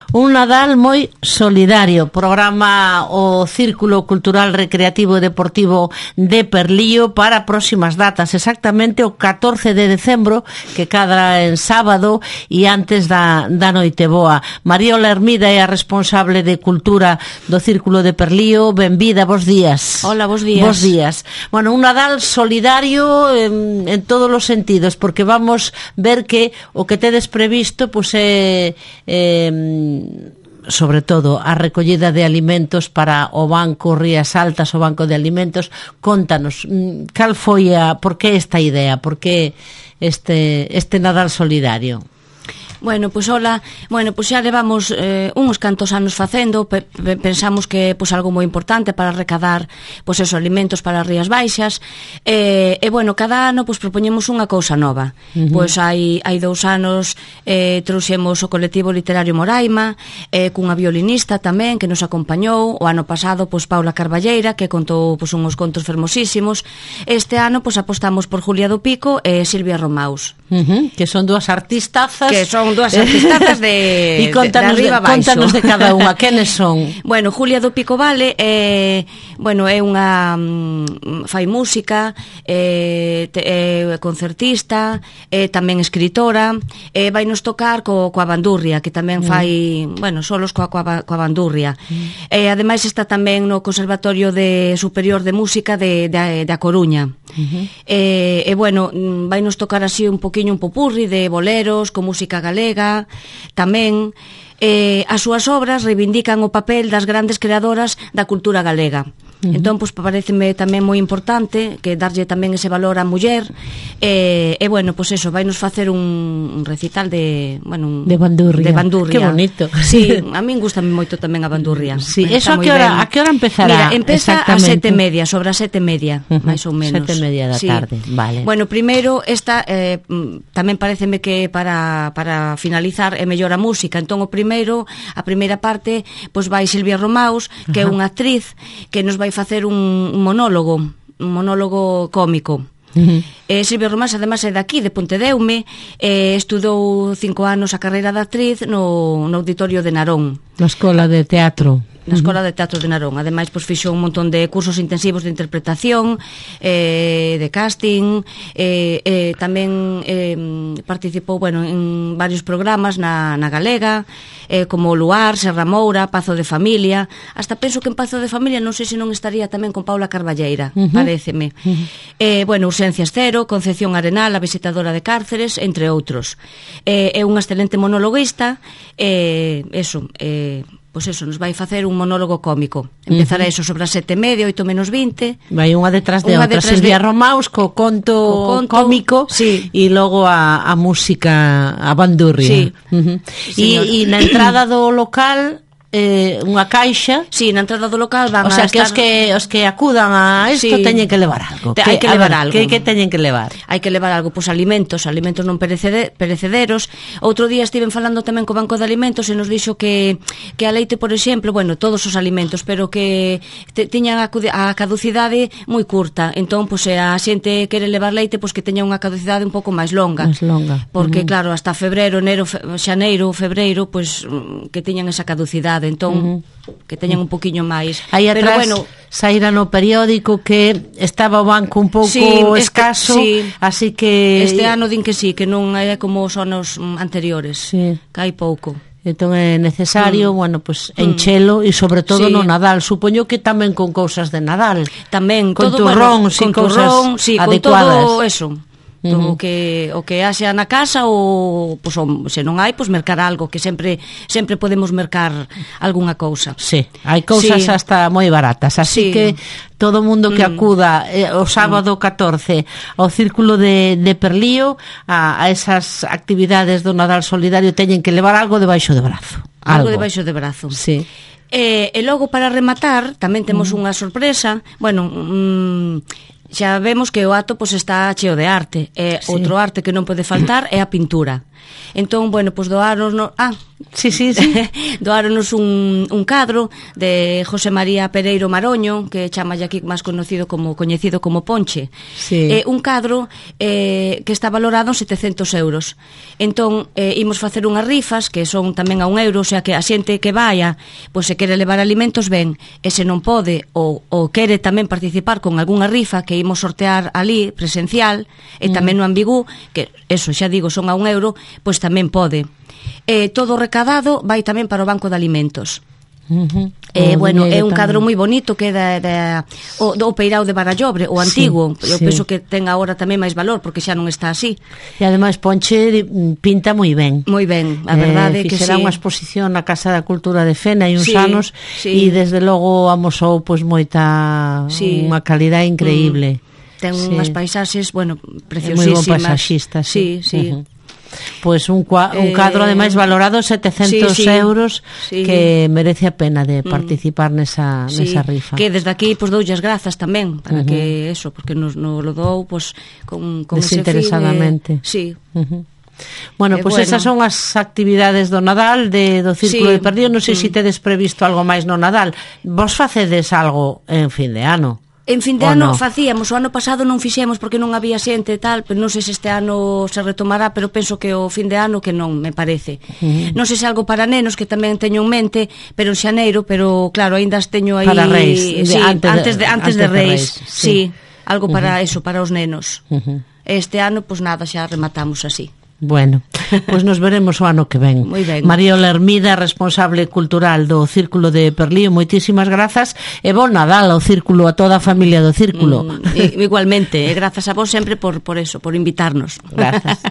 Un Nadal moi solidario. Programa o Círculo Cultural Recreativo e Deportivo de Perlío para próximas datas, exactamente o 14 de decembro, que cadra en sábado e antes da noite boa. Mariola Hermida é a responsable de Cultura do Círculo de Perlío. Benvida, bos días. Hola, bos días. Bos días. Bueno, un Nadal solidario en todos os sentidos, porque vamos ver que o que tedes previsto pois é sobre todo a recollida de alimentos para o Banco Rías Altas, o Banco de Alimentos. Contanos, cal foi por que esta idea, por que este Nadal solidario? Bueno, pois hola, xa levamos uns cantos anos facendo, pensamos que pois algo moi importante para recadar pois esos alimentos para as Rías Baixas, e bueno, cada ano pois propoñemos unha cousa nova. Pois hai 2 anos trouxemos o colectivo literario Moraima, cunha violinista tamén que nos acompañou. O ano pasado pois Paula Carballeira, que contou pois unhos contos fermosísimos. Este ano pois apostamos por Julia do Pico e Silvia Romaus, que son dúas artistazas, dúas artistazas de arriba baixo. Contanos de cada unha, quenes son? Bueno, Julia do Pico Vale é unha fai música, concertista, tamén escritora, vai nos tocar coa bandurria, que tamén fai, solos coa bandurria. Ademais está tamén no Conservatorio Superior de Música de A Coruña. Vai nos tocar así un poquinho un popurri de boleros con música galega. Tamén as súas obras reivindican o papel das grandes creadoras da cultura galega. Entón, pois, pareceme tamén moi importante que darlle tamén ese valor á muller. Pois eso, vai nos facer un recital de bandurria. Que bonito. Sí, a min gustame moito tamén a bandurria. Sí, eso a que hora empezará? Mira, empeza a 7:30, sobre as 7:30, máis ou menos. 7:30 da tarde, vale. Bueno, primeiro esta tamén pareceme que para finalizar é mellor a música. Entón, a primeira parte, pois vai Silvia Romaus, que é unha actriz que nos vai facer un monólogo cómico. Silvia Romaus además é daqui, de Pontedeume, estudou 5 anos a carreira de actriz no Auditorio de Narón, na Escola de Teatro. Na Escola de Teatro de Narón. Ademais, pois fixo un montón de cursos intensivos de interpretación, de casting, tamén participou, en varios programas na Galega, como Luar, Serra Moura, Pazo de Familia. Hasta penso que en Pazo de Familia non sei se non estaría tamén con Paula Carballeira, paréceme. Urxencias Cero, Concepción Arenal, a visitadora de cárceres, entre outros. É unha excelente monologuista, pois eso, nos vai facer un monólogo cómico. Empezará eso sobre as 7:30, 8:20. Vai unha detrás de outra. Silvia Romaus co conto cómico, sí. E logo a música, a bandurria. Sí. E na entrada do local unha caixa. Sí, na entrada do local van que os que acudan a isto teñen que levar algo. Hai que levar algo. Que teñen que levar? Hai que levar algo, pois alimentos non perecederos. Outro día estiven falando tamén co Banco de Alimentos e nos dixo que a leite, por exemplo, todos os alimentos, pero que tiñan a caducidade moi curta. Entón, pois se a xente quere levar leite, pois que teña unha caducidade un pouco máis longa. Porque claro, hasta febreiro, xaneiro, febreiro, pois que teñan esa caducidade. Entón, que teñan un poquinho máis. Aí atrás saíra no periódico que estaba o banco un pouco escaso, así que este ano din que sí, que non é como os anos anteriores, que hai pouco. Entón é necesario, enchelo e sobre todo no Nadal. Supoño que tamén con cousas de Nadal. Tamén, con turrón, sin cousas adecuadas. Con todo eso. O que haxa na casa ou se non hai, pois mercar algo, que sempre podemos mercar algunha cousa. Sí, hai cousas hasta moi baratas, así que todo mundo que acuda o sábado 14 ao Círculo de Perlío a esas actividades do Nadal Solidario teñen que levar algo debaixo de brazo. Algo debaixo de brazo. Sí. E logo, para rematar, tamén temos unha sorpresa. xa vemos que o acto pois está cheo de arte. Outro arte que non pode faltar é a pintura. Entón, bueno, pois doáronos... Sí. doáronos un cadro de José María Pereiro Maroño, que chamalle aquí máis coñecido como Ponche. Sí. Un cadro que está valorado en 700 euros. Entón, imos facer unhas rifas que son tamén a €1, o sea que a xente que vaya, pois se quere levar alimentos, ben, e se non pode ou quere tamén participar con algunha rifa que imos sortear ali presencial, e tamén no Ambigú, que eso xa digo son a €1, pois tamén pode. Todo o recadado vai tamén para o Banco de Alimentos. Bueno, é un cadro moi bonito que é o Peirao de Barallobre, o antigo. Eu penso que ten agora tamén máis valor porque xa non está así. E ademais Ponche pinta moi ben. Moi ben, a verdade que fixera unha exposición na Casa da Cultura de Fena hai uns anos e desde logo amosou pois moita unha calidade increíble. Ten unhas paisaxes, bueno, preciosísimas. Moi bon paisaxista, sí. Pois un cadro ademais valorado 700 euros que merece a pena de participar nesa rifa. Que desde aquí pois dou as grazas tamén para que eso, porque nos lo dou pois con desinteresadamente. Sí. Bueno, pois esas son as actividades do Nadal do Círculo de Perdido. Non sei se tedes previsto algo máis no Nadal. Vos facedes algo en fin de ano? En fin de ano facíamos, o ano pasado non fixemos porque non había xente e tal, pero non sei se este ano se retomará, pero penso que o fin de ano que non, me parece. Non sei se algo para nenos, que tamén teño en mente, pero en xaneiro, pero claro, ainda as teño aí... Para Reis, antes de Reis, sí, algo para eso, para os nenos. Este ano, pois nada, xa rematamos así. Bueno, pois nos veremos o ano que ven. Mariola Hermida, responsable cultural do Círculo de Perlío, moitísimas grazas e bon Nadal ao Círculo, a toda a familia do Círculo. Igualmente, e grazas a vos sempre por eso, por invitarnos. Grazas.